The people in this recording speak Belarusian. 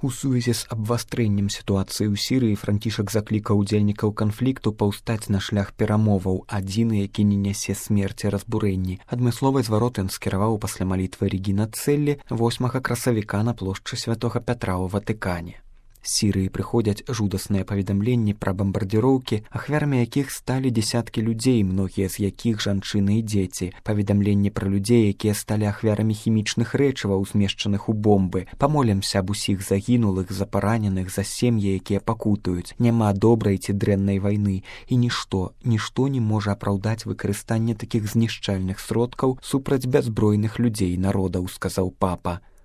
У сувязі з абвастрэннем сітуацыі ў Сірыі Францішак заклікаў удзельнікаў канфлікту паўстаць на шлях перамоваў, адзіны, які не нясе смерці разбурэнні. Адмысловы зварот ён скіраваў пасля малітвы Регіна Цэллі 8 красавіка на плошчы Святога Пятра ў Ватыкане. З Сірыі прыходзяць жудасныя паведамленні пра бамбардзіроўкі, ахвярамі якіх сталі дзесяткі людзей, многія з якіх жанчыны і дзеці. Паведамленні пра людзей, якія сталі ахвярамі хімічных рэчываў, змешчаных у бомбы. Памолімся аб усіх загінулых, за параненых, за сем'і, якія пакутаюць. Няма добрай ці дрэннай вайны, і нішто не можа апраўдаць выкарыстанне такіх знішчальных сродкаў супраць бяззбройных людзей народаў, сказаў папа.